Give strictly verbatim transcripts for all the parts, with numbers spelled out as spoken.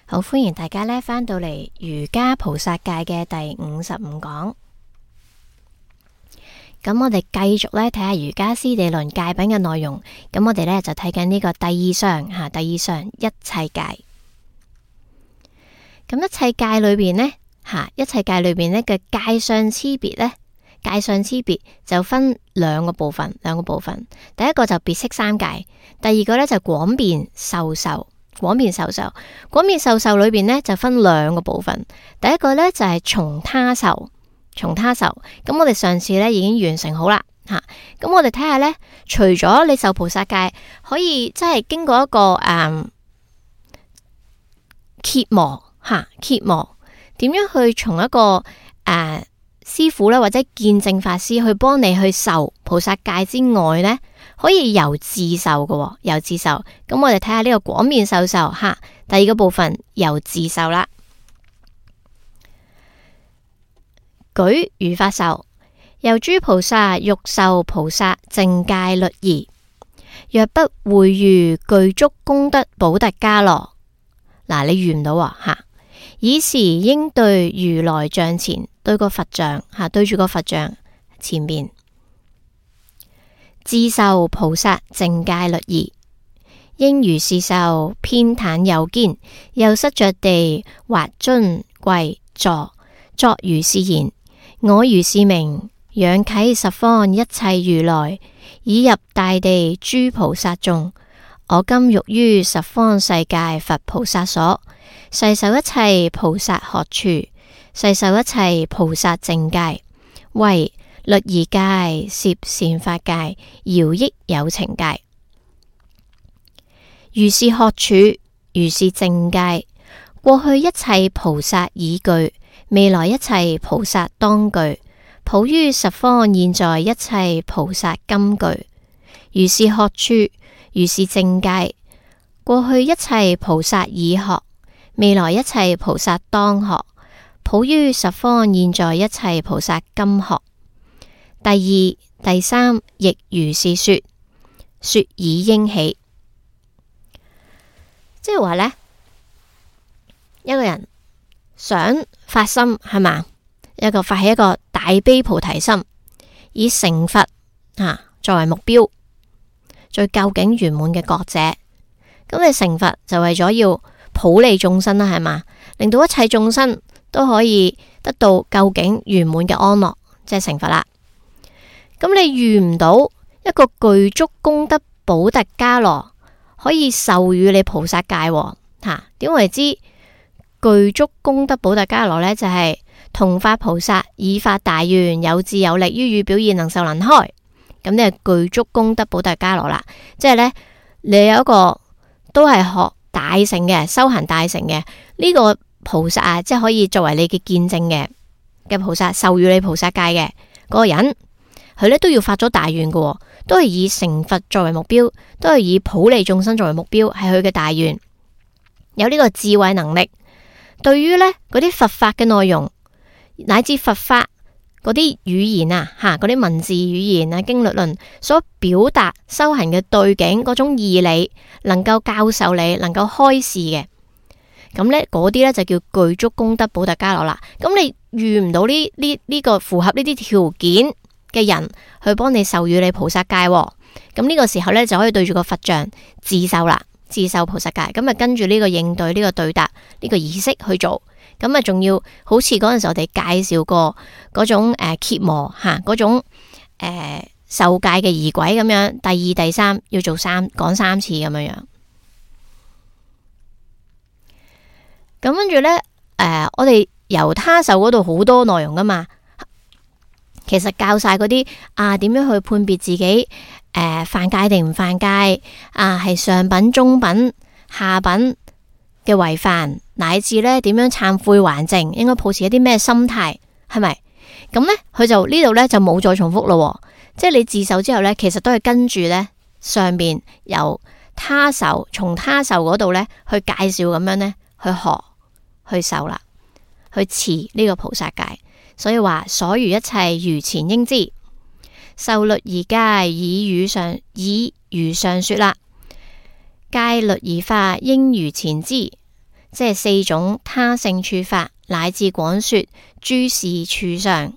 好，歡迎大家咧返到嚟瑜伽菩薩戒嘅第五十五講。咁我哋繼續咧睇下瑜伽師地論戒品嘅內容。咁我哋咧就睇緊呢個第二相吓，第二相一切戒。咁一切戒裏邊呢，吓，一切戒裏邊呢嘅戒相差別呢，戒相差別就分兩個部分，兩個部分。第一個就別釋三戒，第二個咧就廣辨授受。廣辨授受，廣辨授受裏邊呢就分兩個部分。第一個呢就係從他受，從他受。咁我哋上次呢已經完成好啦吓。咁我哋睇下呢，除咗你受菩薩戒，可以即係經過一個誒羯磨吓，羯磨點樣去從一個誒、呃、師傅咧或者見證法師去幫你去受菩薩戒之外呢，可以由自受嘅，由自受。咁我哋睇下呢個廣辨授受吓，第二個部分由自受啦。舉如法受，由諸菩薩欲受菩薩淨戒律儀，若不會遇具足功德補特伽羅，嗱你遇唔到啊吓，爾時應對如來像前，對個佛像吓，對住個佛像前面。自受菩薩淨戒律儀，應如是受，偏袒右肩，右膝着地，或蹲跪坐，作如是言：我如是名，仰啟十方一切如來，已入大地諸菩薩眾。我今欲於十方世界佛菩薩所，誓受一切菩薩學處，誓受一切菩薩淨戒，為律儀戒、攝善法戒、饒益有情戒。如是學處，如是淨戒，過去一切菩薩已具，未來一切菩薩當具，普於十方現在一切菩薩今具。如是學處，如是淨戒，過去一切菩薩已學，未來一切菩薩當學，普於十方現在一切菩薩今學。第二、第三亦如是說，說已應起。即係話呢，一個人想發心係嘛，一個發起一個大悲菩提心，以成佛啊作為目標，最究竟圓滿嘅覺者。咁你成佛就為咗要普利眾生啦，係嘛，令到一切眾生都可以得到究竟圓滿嘅安樂，即係成佛啦。咁你遇唔到一個具足功德補特伽羅可以授予你菩薩戒吓？點為之具足功德補特伽羅呢？就係、是、同發菩薩以發大願，有智有力，於語表現能受能開。咁你係具足功德補特伽羅啦。即係呢，你有一個都係學大乘嘅，修行大乘嘅呢個菩薩啊，即係可以作為你嘅見證嘅嘅菩薩，授予你菩薩戒嘅嗰個人。佢咧都要發咗大願嘅，都係以成佛作為目標，都係以普利眾生作為目標，係佢嘅大願。有呢個智慧能力，對於呢嗰啲佛法嘅內容，乃至佛法嗰啲語言啊，吓嗰啲文字語言啊，經律論所表達修行嘅對境嗰種義理，能夠教授你，能夠開示嘅，咁呢嗰啲呢就叫具足功德補特伽羅啦。咁你遇唔到呢呢呢個符合呢啲條件嘅人去幫你授予你菩薩戒，咁呢個時候呢，就可以對住個佛像自受啦，自受菩薩戒。咁啊跟住呢個應對呢、呢個對答呢、呢個儀式去做，咁啊仲要好似嗰陣時我哋介紹過嗰種誒羯磨吓，嗰種誒、呃、受戒嘅儀軌咁樣，第二第三要做三講三次咁樣樣。咁跟住呢，誒、呃、我哋由他受嗰度好多內容噶嘛。其實教晒嗰啲啊，點樣去判別自己誒犯戒定唔犯戒啊？係上品、中品、下品嘅違犯，乃至咧點樣懺悔還淨，應該抱持一啲咩心態，係咪？咁咧佢就呢度咧就冇再重複咯。即係你自受之後咧，其實都係跟住咧上邊由他受，從他受嗰度咧去介紹咁樣咧去學去受啦，去持呢個菩薩戒。所以話所餘一切如前應知，受律儀戒以如上以如上說啦。戒律儀法應如前知，即係四種他性處法，乃至廣說諸事處上，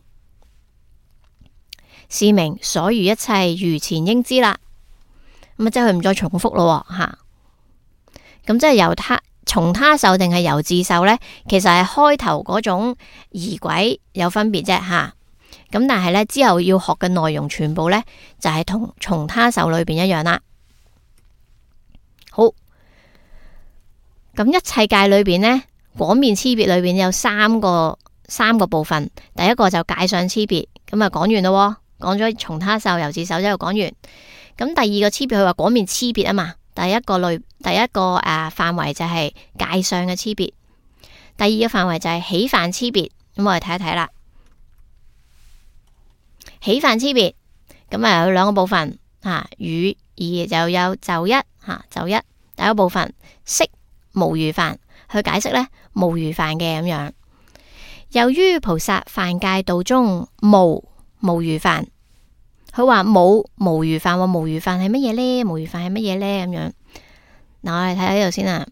是名所餘一切如前應知啦。咁啊，即係佢唔再重複咯吓。咁即係由他從他受定係由自受呢？其實係開頭嗰種儀軌有分別啫吓。咁但係呢，之後要學嘅內容全部呢，就係同從他受裏邊一樣啦。好，咁一切界裏邊呢，廣面差別裏邊有三個三個部分。第一個就界相差別，咁啊講完咯，講咗從他受由自受之後講完。咁第二個差別佢話廣面差別啊嘛，第一個類第一個誒範圍就係界相嘅差別，第二個範圍就係起犯差別。咁我哋睇一睇啦，起犯差別咁啊有兩個部分吓，語二就有就一吓，就一第一個部分識無餘犯去解釋呢無餘犯嘅咁樣。由於菩薩犯戒道中無無餘犯，佢話冇無餘犯，無餘犯係乜嘢呢？無餘犯係乜嘢呢？咁樣嗱，我哋睇下呢度先啊。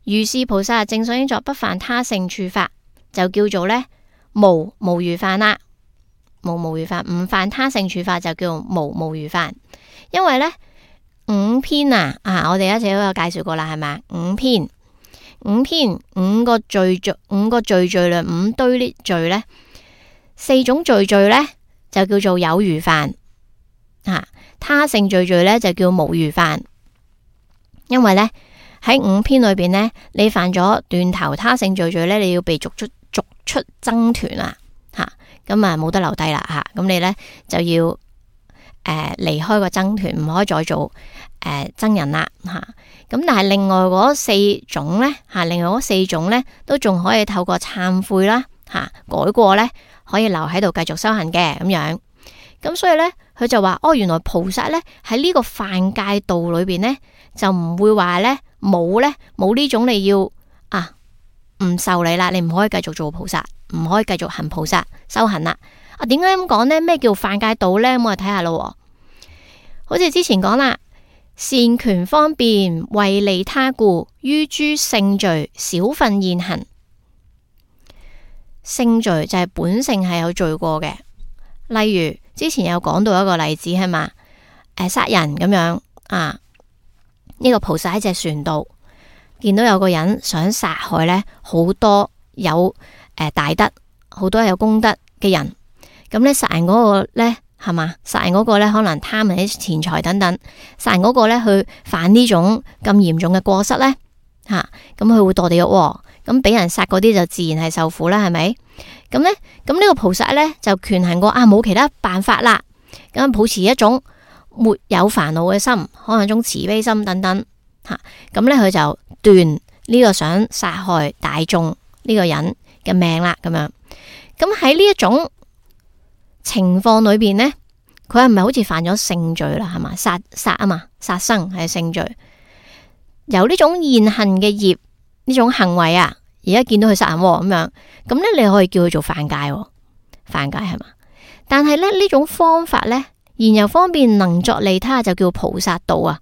如是菩薩正所應作不犯他性處法，就叫做呢無無餘犯啦。無無餘犯唔犯他性處法就叫無無餘犯。因為呢五篇啊啊，我哋一直都有介紹過啦，係咪？五篇五篇五個罪罪五個罪罪量五堆呢罪呢，四種罪罪呢，就叫做有餘犯啊，他性罪罪呢，就叫無餘犯。因為呢，喺五篇裏邊呢，你犯咗斷頭他性罪罪呢，你要被逐出逐出僧團啦吓，咁啊冇得留低啦吓，咁你呢，就要誒離開個僧團，唔可以再做誒僧人啦吓。咁但係另外嗰四種呢，吓，另外嗰四種呢，都仲可以透過懺悔啦吓改過呢，可以留喺度繼續修行嘅咁樣。咁所以呢，佢就話哦，原來菩薩呢，喺呢個犯戒道裏邊呢，就唔會話呢，冇呢，冇呢種你要啊唔受你啦，你唔可以繼續做菩薩，唔可以繼續行菩薩修行啦。啊，點解咁講呢？咩叫犯戒道呢？咁我哋睇下咯。好似之前講啦，善權方便為利他故，於諸性罪少分現行。性罪就係本性係有罪過嘅，例如之前有講到一個例子係嘛，誒殺人咁樣啊，呢個菩薩喺隻船度見到有個人想殺害呢好多有誒大德好多有功德嘅人，咁呢殺人嗰個呢係嘛，殺人嗰個呢可能貪人啲錢財等等，殺人嗰個呢去犯呢種咁嚴重嘅過失呢，吓，咁佢會墮地獄。咁俾人殺嗰啲就自然係受苦啦，係咪？咁呢，咁呢個菩薩呢，就權衡過啊，冇其他辦法啦。咁保持一種沒有煩惱嘅心，可能一種慈悲心等等吓。咁呢，佢就斷呢個想殺害大眾呢個人嘅命啦。咁樣，咁喺呢一種情況裏邊呢，佢係咪好似犯咗性罪啦？係嘛，殺殺啊嘛，殺生係性罪，由呢種現行嘅業。呢種行為啊，而家見到佢殺人咁樣，咁呢你可以叫佢做犯戒，犯戒係嘛？但係咧呢種方法呢，然又方便能作利他，就叫菩薩道啊。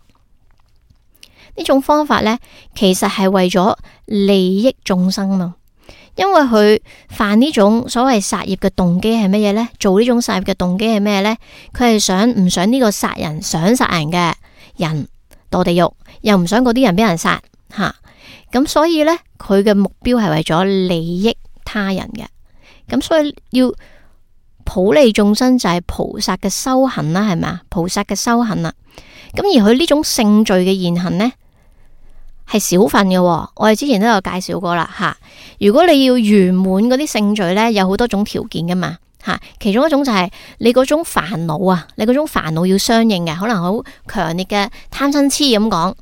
呢種方法呢，其實係為咗利益眾生嘛。因為佢犯呢種所謂殺業嘅動機係乜嘢呢？做呢種殺業嘅動機係咩呢？佢係想唔想呢個殺人想殺人嘅人墮地獄，又唔想嗰啲人俾人殺吓。咁所以呢，佢嘅目標係為咗利益他人嘅，咁所以要普利眾生就係菩薩嘅修行啦，係咪啊？菩薩嘅修行啦，咁而佢呢種性罪嘅現行呢，係少分嘅，我哋之前都有介紹過啦吓。如果你要圓滿嗰啲性罪呢，有好多種條件噶嘛吓，其中一種就係你嗰種煩惱啊，你嗰種煩惱要相應嘅，可能好強烈嘅貪嗔痴咁講。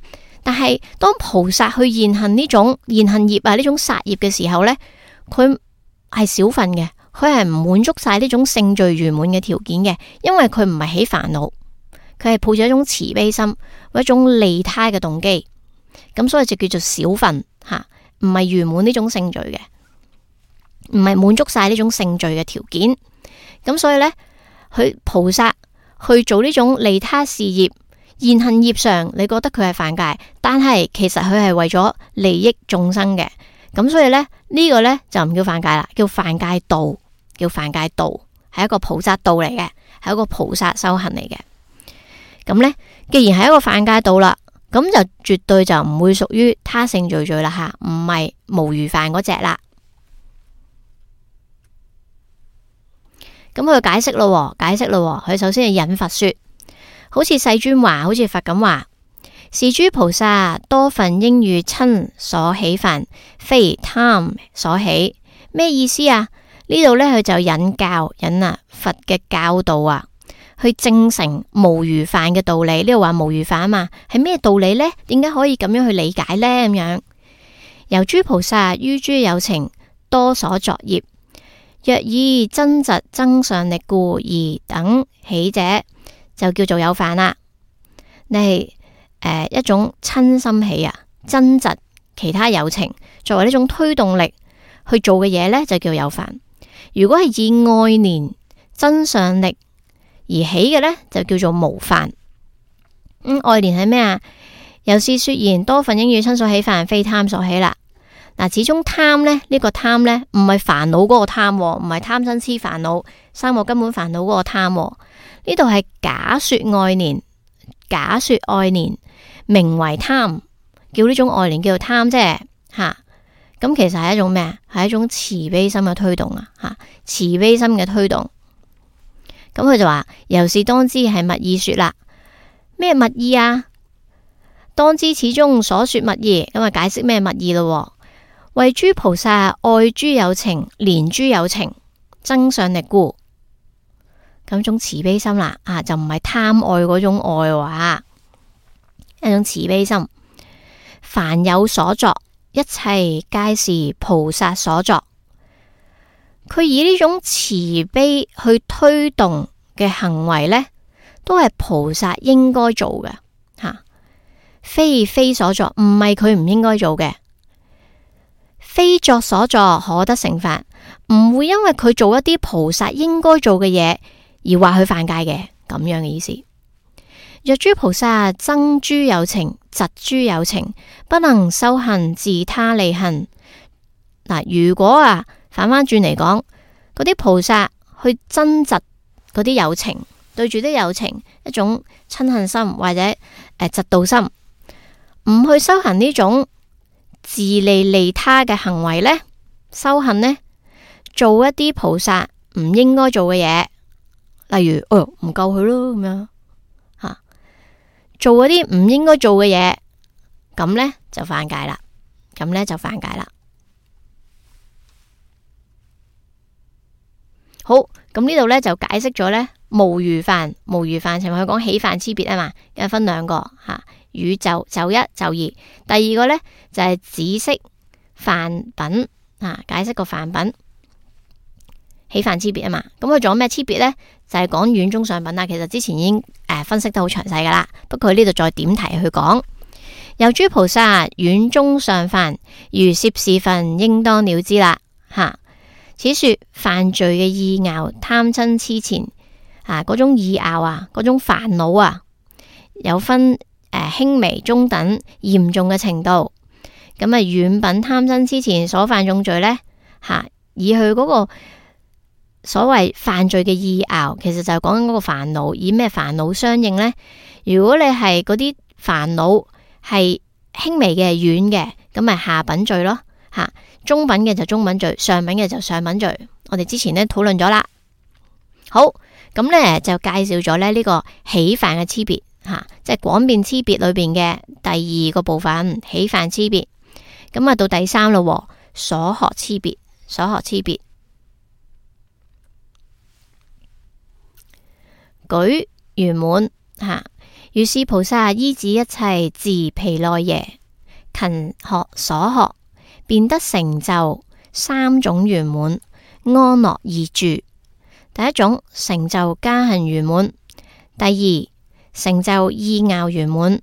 但係當菩薩去現行呢種現行業啊，呢種殺業嘅時候呢，佢係少分嘅，佢係唔滿足晒呢種性罪圓滿嘅條件嘅，因為佢唔係起煩惱，佢係抱住一種慈悲心或一種利他嘅動機，咁所以就叫做少分吓，唔係圓滿呢種性罪嘅，唔係滿足晒呢種性罪嘅條件，咁所以呢，佢菩薩去做呢種利他事業。言行業上你覺得佢係犯戒，但係其實佢係為咗利益眾生嘅，咁所以咧呢、這個咧就唔叫犯戒啦，叫犯戒道，叫犯戒道，係一個菩薩道嚟嘅，係一個菩薩修行嚟嘅。咁咧既然係一個犯戒道啦，咁就絕對就唔會屬於他性罪罪啦吓，唔係無餘犯嗰隻啦。咁佢解釋咯，解釋咯，佢首先係引佛說，好似世尊話，好似佛咁話，是諸菩薩多分應與親所起犯，非貪所起。咩意思啊？呢度咧佢就引教引啊佛嘅教導啊，去證成無餘犯嘅道理。呢度話無餘犯啊嘛，係咩道理呢？點解可以咁樣去理解呢？咁樣由諸菩薩於諸有情多所作業，若以真實增上力故而等起者，就叫做有犯啦。你係誒、呃、一種親心起啊，真實其他有情作為呢種推動力去做嘅嘢呢，就叫有犯。如果係以愛念增上力而起嘅呢，就叫做無犯。咁愛念係咩啊？由是說言，多分應與親所起犯，非貪所起啦。嗱，始終貪咧，呢、這個貪呢，唔係煩惱嗰個貪，唔係貪嗔痴煩惱三個根本煩惱嗰個貪。呢度係假說愛念，假說愛念名為貪，叫呢種愛念叫做貪啫吓。咁、啊、其實係一種咩啊？係一種慈悲心嘅推動啊吓，慈悲心嘅推動。咁佢就話，由是當知係密意說啦。咩密意啊？當知此中所說密意，咁啊解釋咩密意咯。為諸菩薩愛諸有情，憐諸有情，增上力故。咁種慈悲心啦，啊就唔係貪愛嗰種愛話，一種慈悲心。凡有所作，一切皆是菩薩所作。佢以呢種慈悲去推動嘅行為呢，都係菩薩應該做嘅吓，非非所作，唔係佢唔應該做嘅。非作所作，可得成法，唔會因為佢做一啲菩薩應該做嘅嘢而話佢犯戒嘅，咁樣嘅意思。若諸菩薩憎諸有情，嫉諸有情，不能修行自他利行。嗱，如果啊反翻轉嚟講，嗰啲菩薩去憎嫉嗰啲有情，對住啲有情一種親恨心或者誒嫉妒心，唔去修行呢種自利利他嘅行為呢，修行呢，做一啲菩薩唔應該做嘅嘢，例如哦唔救佢咯咁樣吓，做一啲唔應該做嘅嘢，咁呢就犯戒啦，咁呢就犯戒啦。好，咁呢度呢就解釋咗呢無餘犯，無餘犯，尋日佢講起犯差別啊嘛，咁分兩個吓。宇宙就一就二，第二個呢，就係止息犯品啊，解釋個犯品起犯差別啊嘛。咁佢仲有咩差別呢？就係講遠中上品啦。其實之前已經誒、呃、分析得好詳細噶啦，不過佢呢度再點題去講。由諸菩薩遠中上犯，如涉事分，應當了知啦吓。此說犯罪嘅意拗、貪嗔癡纏啊，嗰種意拗啊，嗰種煩惱啊，有分。誒，輕微、中等、嚴重嘅程度，咁啊，遠品貪嗔癡纏所犯重罪呢，吓，以佢嗰個所謂犯罪嘅意拗，其實就係講緊嗰個煩惱，以咩煩惱相應呢？如果你係嗰啲煩惱係輕微嘅、遠嘅，咁咪下品罪咯，吓，中品嘅就中品罪，上品嘅就上品罪。我哋之前呢討論咗啦。好，咁呢就介紹咗咧呢個起犯嘅差別。吓、啊，即係廣辨差別裏邊嘅第二個部分，起犯差別。咁啊到第三咯，所學差別，所學差別。舉圓滿吓，如是菩薩依止一切自毗奈耶，勤學所學，便得成就三種圓滿，安樂二住。第一種成就加行圓滿，第二成就意拗圓滿，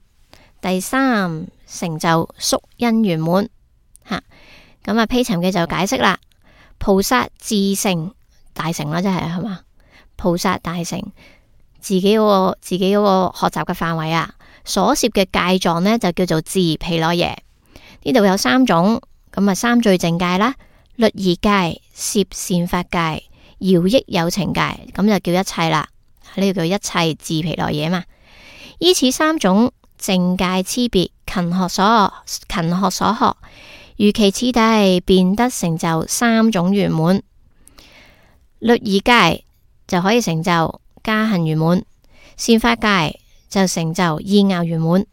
第三成就宿因圓滿。吓，咁啊披尋嘅就解釋啦。菩薩自成大成啦，即係係嘛？菩薩大成自己嗰個自己嗰個學習嘅範圍啊，所攝嘅戒狀呢，就叫做自毗羅耶。呢度有三種，咁啊三聚淨戒啦、律儀戒、攝善法戒、饒益有情戒，咁就叫一切啦。呢個叫一切自毗羅耶嘛。依此三種淨戒差別，勤學所勤學所學，如其次第，便得成就三種圓滿。律儀戒就可以成就加行圓滿，善法戒就成就意樂圓滿，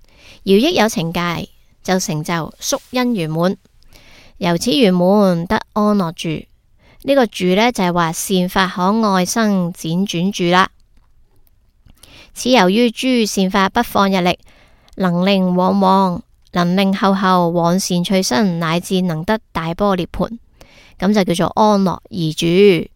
饒益有情戒就成就宿因圓滿。由此圓滿得安樂住。呢、這個住呢，就係話善法可愛生輾轉住啦。此由於諸善法不放逸力，能令往往能令後後往善趣生，乃至能得大般涅槃，咁就叫做安樂而住。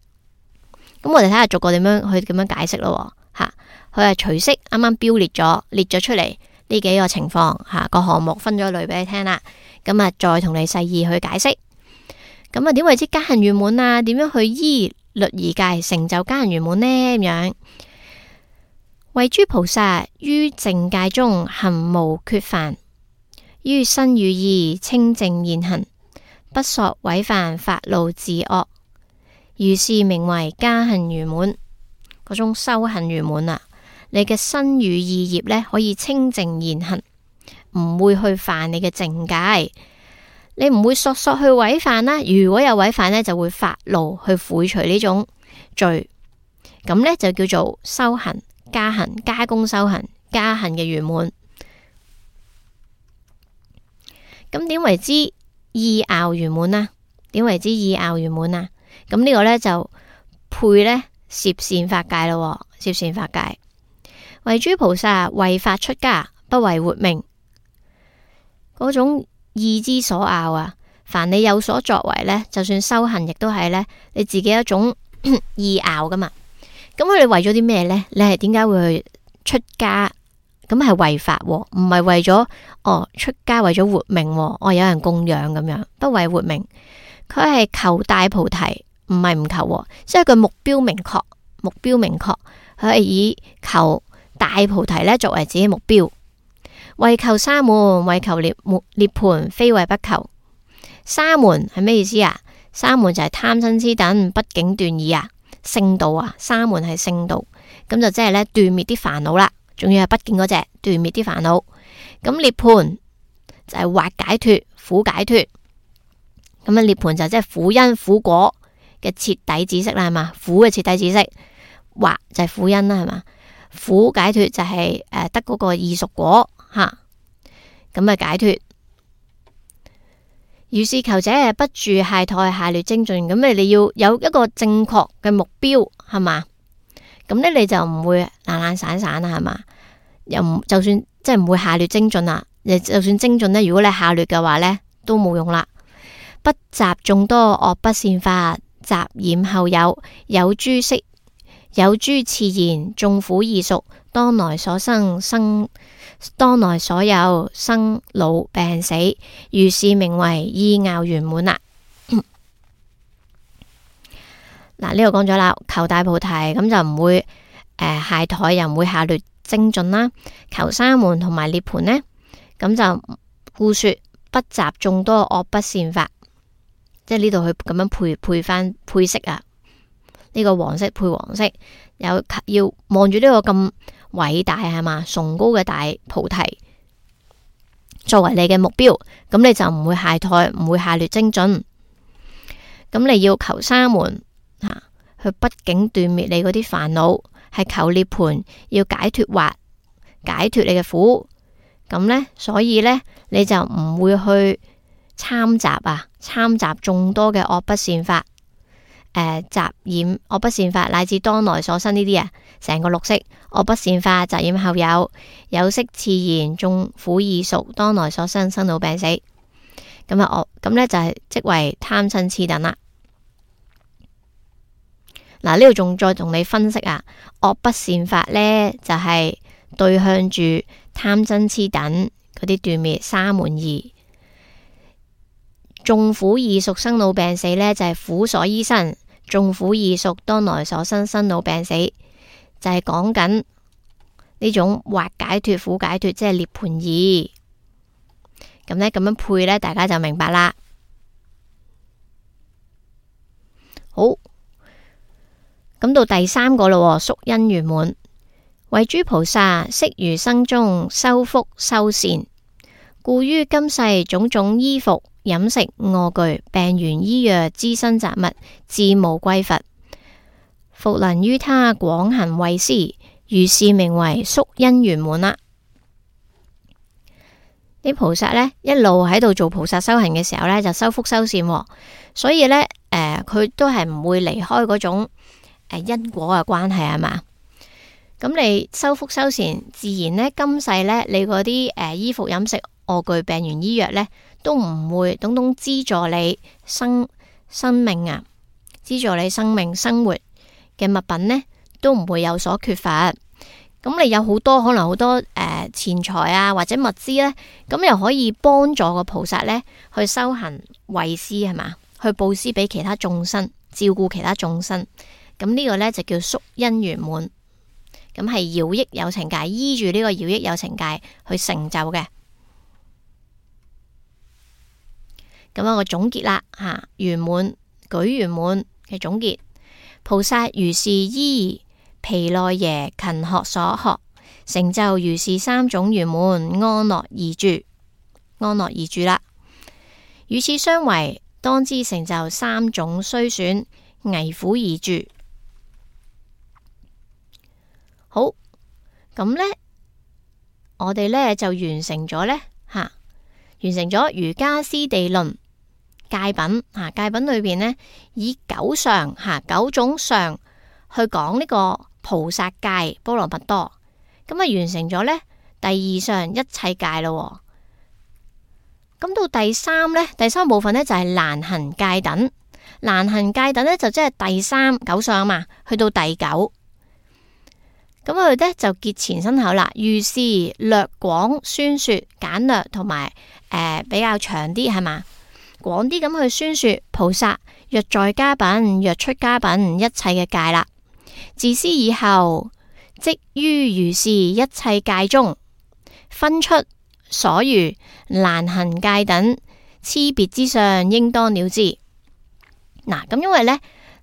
咁我哋睇下逐個點樣去點樣解釋咯。吓，佢係隨息啱啱標列咗列咗出嚟呢幾個情況，吓個項目分咗類俾你聽啦。咁啊，再同你細意去解釋。咁啊，點為之加行圓滿啊？點樣去依律儀戒成就加行圓滿呢？咁樣為諸菩薩於淨戒中行無缺犯，於身語意清淨現行，不索違犯法路自惡，如是名為加行圓滿。嗰種修行圓滿啊，你嘅身語意業呢，可以清淨現行，唔會去犯你嘅淨戒，你唔會索索去違犯啦。如果有違犯呢，就會發怒去悔除呢種罪，咁呢，就叫做修行加行加功修行加行嘅圓滿。咁點為之意樂圓滿啊？點為之意樂圓滿啊？咁呢個呢，就配呢攝善法戒咯。攝善法戒為諸菩薩為法出家，不為活命。嗰種意之所拗啊，凡你有所作為呢，就算修行亦都係呢你自己一種意拗噶嘛。咁佢哋為咗啲咩呢？你係點解會去出家？咁係為法，唔係為咗哦出家為咗活命，哦有人供養咁樣，不為活命。佢係求大菩提，唔係唔求，即係佢目標明確，目標明確，佢係以求大菩提呢作為自己目標。為求沙門，為求涅涅槃，非為不求。沙門係咩意思啊？沙門就係貪嗔癡等畢竟斷已啊。聖道啊，沙門係聖道，咁就即係咧斷滅啲煩惱啦，仲要係不見嗰隻斷滅啲煩惱。咁涅槃就係惑解脫，苦解脫。咁啊涅槃就即係苦因苦果嘅徹底知識啦，係嘛？苦嘅徹底知識，惑就係苦因啦，係嘛？苦解脫就係誒得嗰個異熟果吓，咁啊解脫。如是求者不住懈怠下劣精進，咁你你要有一個正確嘅目標，係嘛？咁呢你就唔會懶懶散散啦，係嘛？又唔就算即係唔會下劣精進啦，你就算精進呢，如果你下劣嘅話呢，都冇用啦。不習眾多惡不善法，雜染後有有諸色有諸次言，眾苦異熟，當來所生生。當來所有生老病死，如是名為意樂圓滿啦。嗱，呢度講咗啦，求大菩提咁就唔會誒懈怠，又唔會下劣精進啦。求沙門同埋涅槃呢，咁就故說不習眾多惡不善法，即係呢度去咁樣配配翻配色啊。呢、這個黃色配黃色，有要望住呢個咁偉大係嘛，崇高嘅大菩提作為你嘅目標，咁你就唔會懈怠，唔會下劣精進。咁你要求沙門吓、啊，去畢竟斷滅你嗰啲煩惱，係求涅槃，要解脫惑，解脫你嘅苦。咁呢，所以呢，你就唔會去參雜啊，參雜眾多嘅惡不善法。誒，雜染惡不善法，乃至當來所生呢啲啊，成個六識惡不善法，雜染後有有色次言，眾苦異熟，當來所生生老病死。咁啊，我咁呢就係即為貪嗔癡等啦。嗱，呢度仲再同你分析啊，惡不善法呢，就係、是、對向住貪嗔癡等嗰啲斷滅沙門義。眾苦異熟生老病死呢，就係、是、苦所依生。眾苦異熟，當來所生生老病死，就係講緊呢呢種惑解脫、苦解脫，即係涅槃義。咁呢，咁樣配呢，大家就明白啦。好，咁到第三個咯，宿因圓滿，為諸菩薩昔餘生中修福修善，故於今世種種衣服、飲食、臥具、病緣醫藥、資身雜物，自無匱乏，復能於他廣行惠施，如是名為宿因圓滿啦。啲菩薩呢，一路喺度做菩薩修行嘅時候呢，就修福修善，所以呢，誒、呃，佢都係唔會離開嗰種誒、呃、因果嘅關係，係嘛？咁你修福修善，自然呢，今世呢，你嗰啲誒衣服、飲食、臥具、病緣醫藥呢，都唔會等等資助你生生命啊，資助你生命生活嘅物品呢，都唔會有所缺乏。咁你有好多可能好多誒、呃、錢財啊，或者物資呢，咁又可以幫助個菩薩呢去修行惠施，係嘛？去布施俾其他眾生，照顧其他眾生。咁呢個呢，就叫宿因圓滿。咁係饒益有情界，依住呢個饒益有情界去成就嘅。咁我個總結啦，吓圓滿舉圓滿嘅總結，菩薩如是依毗奈耶勤學所學，成就如是三種圓滿，安樂而住，安樂而住啦。與此相違，當知成就三種衰損，危苦而住。好，咁呢，我哋呢就完成咗呢，吓、啊，完成咗瑜伽師地論戒品吓，戒品裏邊呢，以九相吓、啊、九種相去講呢個菩薩戒波羅蜜多，咁啊完成咗呢第二相一切戒咯。咁到第三呢，第三部分呢就係、是、難行戒等，難行戒等呢就即係第三九相嘛，去到第九。咁佢哋呢就結前身口啦，如是略廣宣說簡略同埋誒比較長啲係嘛，廣啲咁去宣說菩薩若在家品若出家品一切嘅戒啦。自斯以後，即於如是一切戒中分出所餘難行戒等差別之相，應當了知。嗱，咁因為呢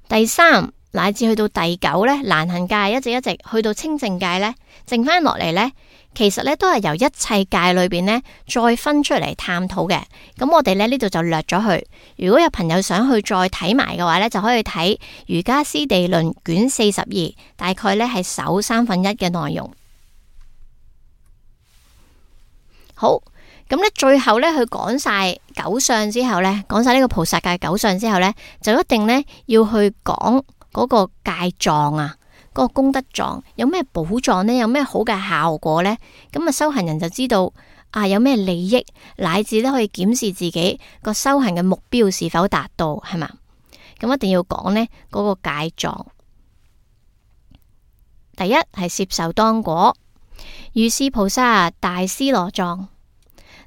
第三乃至去到第九呢，難行戒一直一直去到清淨戒呢，剩翻落嚟呢，其實呢都係由一切戒裏邊呢再分出嚟探討嘅。咁我哋呢呢度就略咗去。如果有朋友想去再睇埋嘅話呢，就可以睇瑜伽師地論卷四十二，大概呢係首三分一嘅內容。好，咁呢最後呢，佢講晒九相之後呢，講晒呢個菩薩戒九相之後呢，就一定呢要去講嗰個戒藏啊，嗰個功德藏有咩寶藏呢？有咩好嘅效果呢？咁啊，修行人就知道啊，有咩利益，乃至咧可以檢視自己個修行嘅目標是否達到，係嘛？咁一定要講呢嗰個戒藏。第一係攝受當果，如是菩薩大尸羅藏，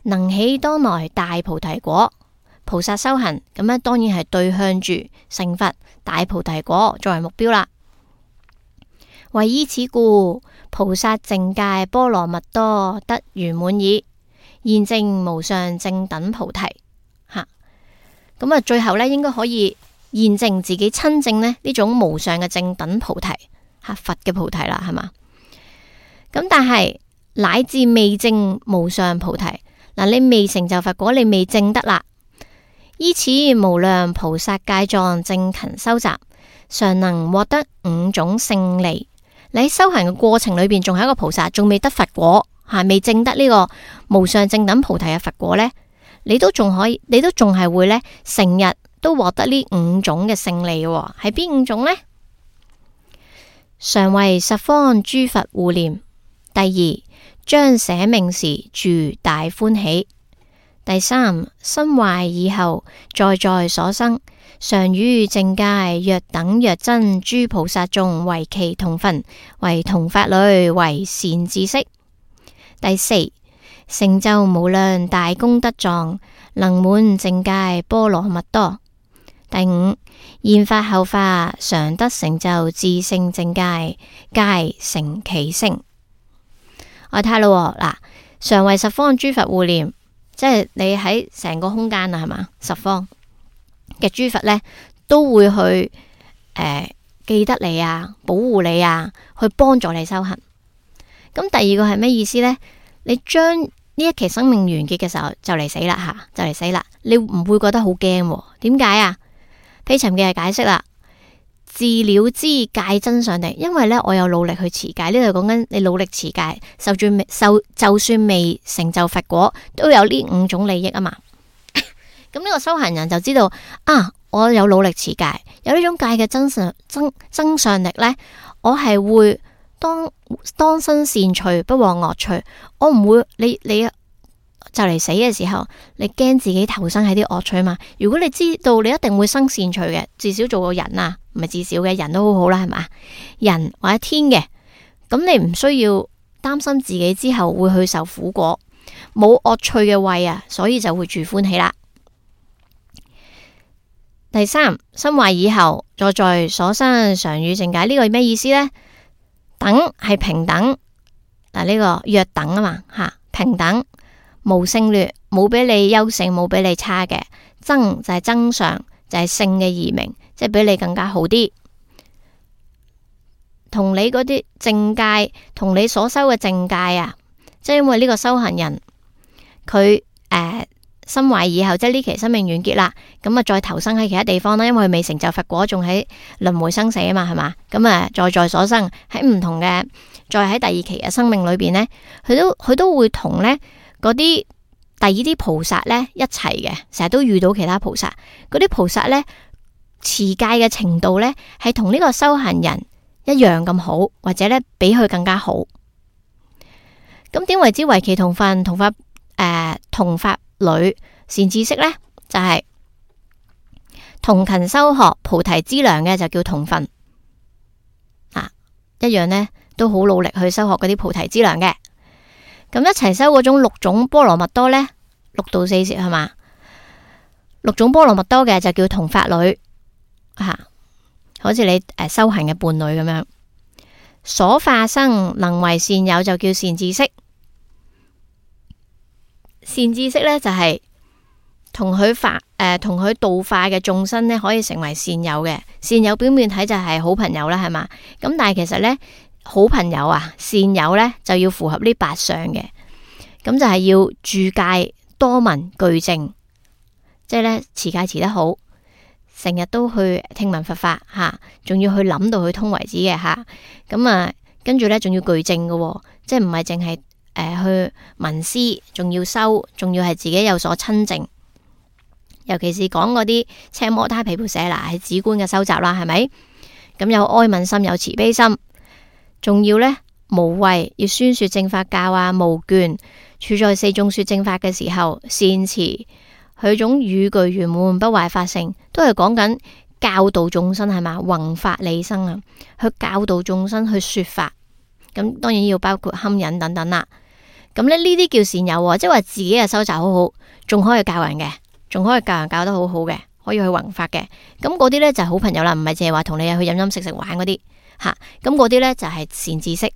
能起當來大菩提果。菩薩修行咁咧，當然係對向住成佛大菩提果作為目標啦。為依此故，菩薩淨戒波羅蜜多得圓滿矣，現證無上正等菩提。吓，咁啊，最後咧應該可以現證自己親證呢呢種無上嘅正等菩提，吓佛嘅菩提啦，係嘛？咁但係乃至未證無上菩提，嗱，你未成就佛果，你未證得啦。依此無量菩薩戒藏正勤修習，常能獲得五種勝利。你喺修行嘅過程裏邊，仲係一個菩薩，仲未得佛果，吓未證得呢個無上正等菩提嘅佛果呢，你都仲可以，你都仲係會呢，成日都獲得呢五種嘅勝利嘅。係邊五種呢？常為十方諸佛護念。第二，將捨命時住大歡喜。第三，身壞以後，在在所生，常與淨戒若等若真諸菩薩眾為其同分，為同法侶，為善知識。第四，成就無量大功德藏，能滿淨戒波羅蜜多。第五，現法後法，常得成就自性淨戒，戒成其性。我睇下咯，嗱，常為十方諸佛護念，即係你喺成個空間啊，係嘛？十方嘅諸佛呢，都會去誒、呃、記得你啊，保護你啊，去幫助你修行。咁第二個係咩意思呢？你將呢一期生命完結嘅時候就嚟死啦吓，就嚟死啦，你唔會覺得好驚？點解啊？毗尋嘅解釋啦，自了知戒真上地，因為咧我有努力去持戒，呢度講緊你努力持戒，受住未受就算未成就佛果，都有呢五種利益啊嘛。咁呢個修行人就知道啊，我有努力持戒，有呢種戒嘅真上真真上力咧，我係會當當生善趣，不往惡趣。我唔會你你就嚟死嘅時候，你驚自己投生喺啲惡趣嘛？如果你知道你一定會生善趣嘅，至少做個人啊，唔係至少嘅人都好好啦，係嘛？人或者天嘅，咁你唔需要擔心自己之後會去受苦果，冇惡趣嘅位啊，所以就會住歡喜啦。第三，心壞以後，再在所生常與正解，呢個係咩意思呢？等係平等，嗱、這、呢個約等啊嘛吓，平等無勝劣，冇比你優勝，冇比你差嘅。增就係增上，就係勝嘅異名，即係比你更加好啲。同你嗰啲正戒，同你所修嘅正戒啊，即係因為呢個修行人佢誒心壞以後，即係呢期生命完結啦，咁啊再投生喺其他地方啦，因為佢未成就佛果，仲喺輪迴生死啊嘛，係嘛？咁啊在在所生喺唔同嘅，再喺第二期嘅生命裏邊呢，佢都佢都會同呢嗰啲第二啲菩薩呢一齊嘅，成日都遇到其他菩薩，嗰啲菩薩呢持戒嘅程度呢係同呢個修行人一樣咁好，或者呢比佢更加好。咁點為之為其同分同法誒、呃、同法侶善知識呢？就係、是、同勤修學菩提資糧嘅就叫同分啊，一樣呢都好努力去修學嗰啲菩提資糧嘅。咁一齊修嗰種六種波羅蜜多呢，六度四攝係嘛？六種波羅蜜多嘅就叫同法侶啊，好似你誒、呃、修行嘅伴侶咁樣。所化生能為善友就叫善知識。善知識咧就係同佢化誒，同佢度化嘅眾生咧，可以成為善友嘅。善友表面睇就係好朋友啦，係嘛？咁但係其實咧，好朋友啊，善友咧就要符合呢八相嘅。咁就係要住戒多聞具正，即係咧持戒持得好，成日都去聽聞佛法吓，仲要去諗到佢通為止嘅吓。咁啊，跟住咧仲要具正嘅，即係唔係淨係。誒、呃，去聞思，仲要修，仲要係自己有所親證，尤其是講嗰啲奢摩他毗缽舍那係止觀嘅修習啦，係咪？咁有哀憫心，有慈悲心，仲要呢無畏，要宣說正法教啊，無倦，處在四眾說正法嘅時候，善持佢種語句圓滿不壞法性，都係講緊教導眾生係嘛，弘法利生啊，去教導眾生去說法，咁當然要包括堪忍等等啦。咁咧呢啲叫善友，即係話自己嘅修習好好，仲可以教人嘅，仲可以教人教得好好嘅，可以去弘法嘅。咁嗰啲咧就係好朋友啦，唔係淨係話同你去飲飲食食玩嗰啲吓。咁嗰啲咧就係善知識。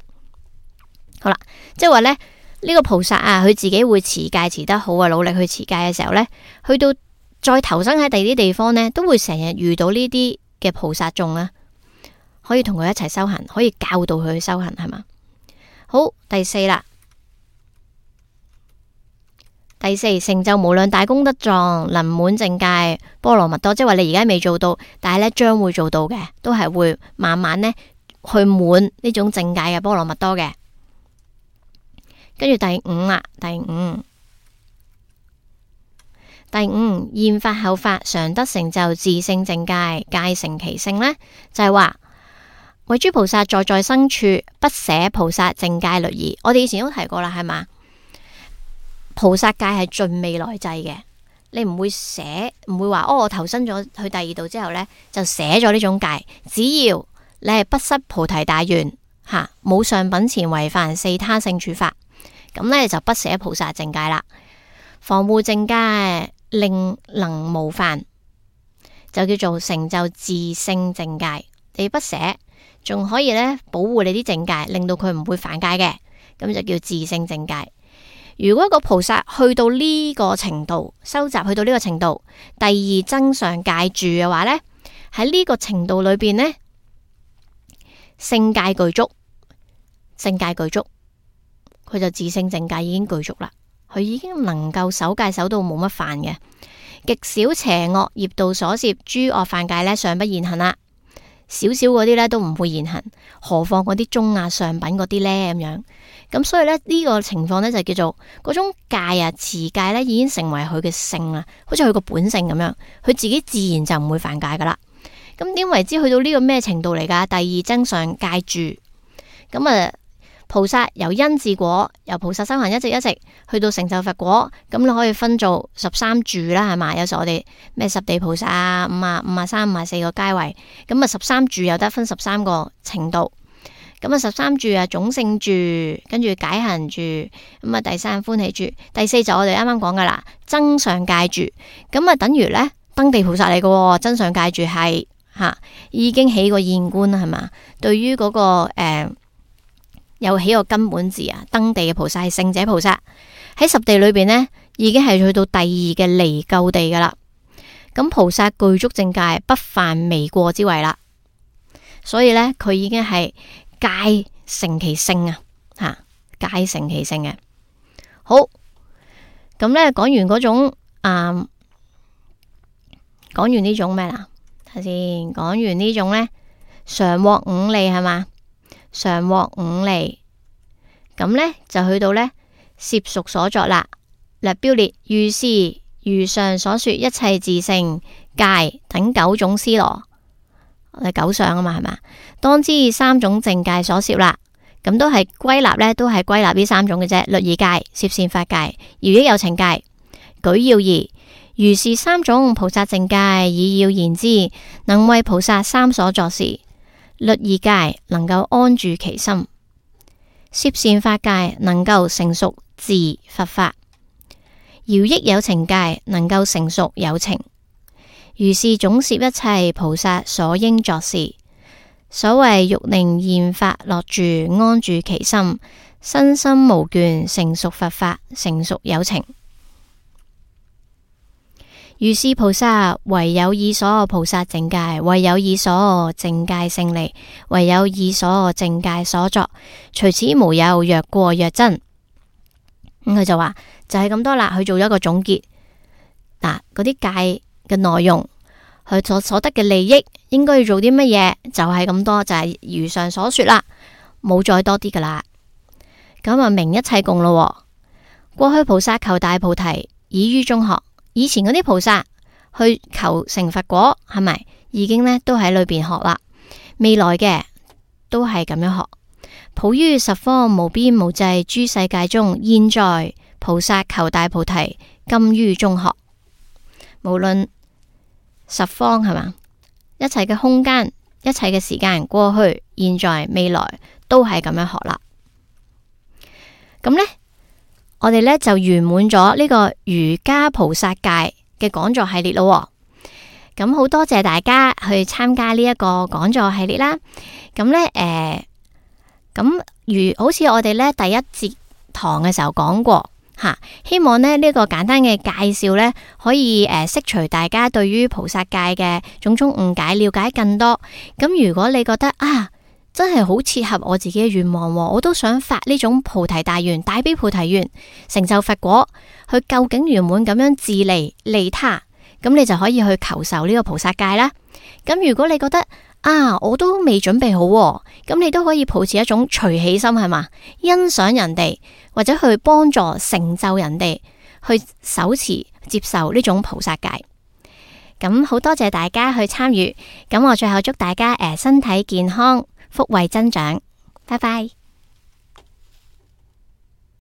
好啦，即係話咧呢個菩薩啊，佢自己會持戒持得好啊，努力去持戒嘅時候咧，去到再投生喺第二啲地方咧，都會成日遇到呢啲嘅菩薩眾啊，可以同佢一齊修行，可以教導佢去修行，係嘛？好，第四啦。第四，成就無量大功德狀，能滿淨戒波羅蜜多，即係話你而家未做到，但係咧將會做到嘅，都係會慢慢咧去滿呢種淨戒嘅波羅蜜多嘅。跟住第五啦，第五，第五現法後法常得成就自性淨戒，戒成其性呢，就係話為諸菩薩在在生處不捨菩薩淨戒律儀。我哋以前都提過啦，係嘛？菩薩戒係盡未來際嘅，你唔會捨，唔會話哦，我投身咗去第二度之後呢，就捨咗呢種戒。只要你係不失菩提大願吓，冇上品前違犯四他勝處法，咁呢就不捨菩薩淨戒啦。防護淨戒令能無犯，就叫做成就自性淨戒。你不捨，仲可以呢保護你啲淨戒，令到佢唔會犯戒嘅。咁就叫自性正戒。如果個菩薩去到呢個程度，收集去到呢個程度，第二增上戒住嘅話呢，喺呢個程度裏邊呢，性戒具足，性戒具足，佢就自性正戒已經具足啦。佢已經能夠守戒守到冇乜犯嘅，極少邪惡業道所攝諸惡犯戒呢，尚不現行啦。少少嗰啲呢都唔會現行，何況嗰啲中啊上品嗰啲呢？咁樣。咁所以呢，呢、這個情況呢，就叫做嗰種戒啊持戒呢已經成為佢嘅性啦，好似佢個本性咁樣，佢自己自然就唔會犯戒噶啦。咁點為之去到呢個咩程度嚟噶？第二增上戒住，咁啊菩薩由因至果，由菩薩修行一直一直去到成就佛果，咁你可以分做十三住啦，係嘛？有時我哋咩十地菩薩啊，五啊五啊三、五啊四個階位，咁啊十三住又得分十三個程度，咁啊十三住啊種性住，跟住解行住，咁啊第三歡喜住，第四就我哋啱啱講噶啦，增上戒住，咁啊等於咧登地菩薩嚟嘅，增上戒住係吓已經起過現觀啦，係嘛？對於嗰、那個誒。呃有起個根本字啊，登地嘅菩薩係聖者菩薩，喺十地裏邊呢，已經係去到第二嘅離垢地噶啦。咁菩薩具足正戒，不犯微過之位啦。所以呢，佢已經係戒成其性啊，吓戒成其性嘅。好，咁呢講完嗰種啊，講、嗯、完呢種咩啦？睇先，講完呢種呢，常獲五利係嘛？常獲五利，咁呢就去到呢攝屬所作啦。略標列，如是如上所說一切自性戒等九種思羅，我哋九相啊嘛，係嘛？當知三種正戒所攝啦，咁都係歸納呢，都係歸納呢三種嘅啫。律儀戒、攝善法戒、饒益有情戒。舉要義，如是三種菩薩正戒，以要言之，能為菩薩三所作事。律儀戒能夠安住其心，攝善法戒能夠成熟自佛法，饒益有情戒能夠成熟有情。如是總攝一切菩薩所應作事。所謂欲令現法樂住，安住其心，身心無倦，成熟佛法，成熟有情。如是菩薩唯有以所菩薩正戒，唯有以所正戒勝利，唯有以所正戒所作，除此無有若過若增。咁佢、嗯、就話就係、是、咁多啦，佢做咗一個總結。嗱，嗰啲戒嘅內容，佢所所得嘅利益，應該要做啲乜嘢，就係、是、咁多，就係、是、如上所說啦，冇再多啲噶啦。咁啊，明一切共咯。過去菩薩求大菩提，已於中學。以前嗰啲菩薩去求成佛果，係咪已經呢都喺裏邊學啦？未來嘅都係咁樣學，普於十方無邊無際諸世界中，現在菩薩求大菩提，今於中學。無論十方係嘛，一切嘅空間，一切嘅時間，過去、現在、未來都係咁樣學啦。咁呢？我哋咧就圓滿咗呢個瑜伽菩薩戒嘅講座系列咯。咁好多謝大家去參加呢一個講座系列啦。咁咧，誒、呃，咁如好似我哋咧第一節堂嘅時候講過吓，希望咧呢、這個簡單嘅介紹咧可以誒釋除大家對於菩薩戒嘅種種誤解，了解更多。咁如果你覺得啊，真係好切合我自己嘅願望，我都想發呢種菩提大願、大悲菩提願，成就佛果，去究竟圓滿咁樣自利利他，咁你就可以去求受呢個菩薩戒啦。咁如果你覺得啊，我都未準備好，咁你都可以抱持一種隨喜心，係嘛，欣賞人哋或者去幫助成就人哋，去手持接受呢種菩薩戒。咁好多謝大家去參與，咁我最後祝大家誒、呃、身體健康，福慧增長，拜拜。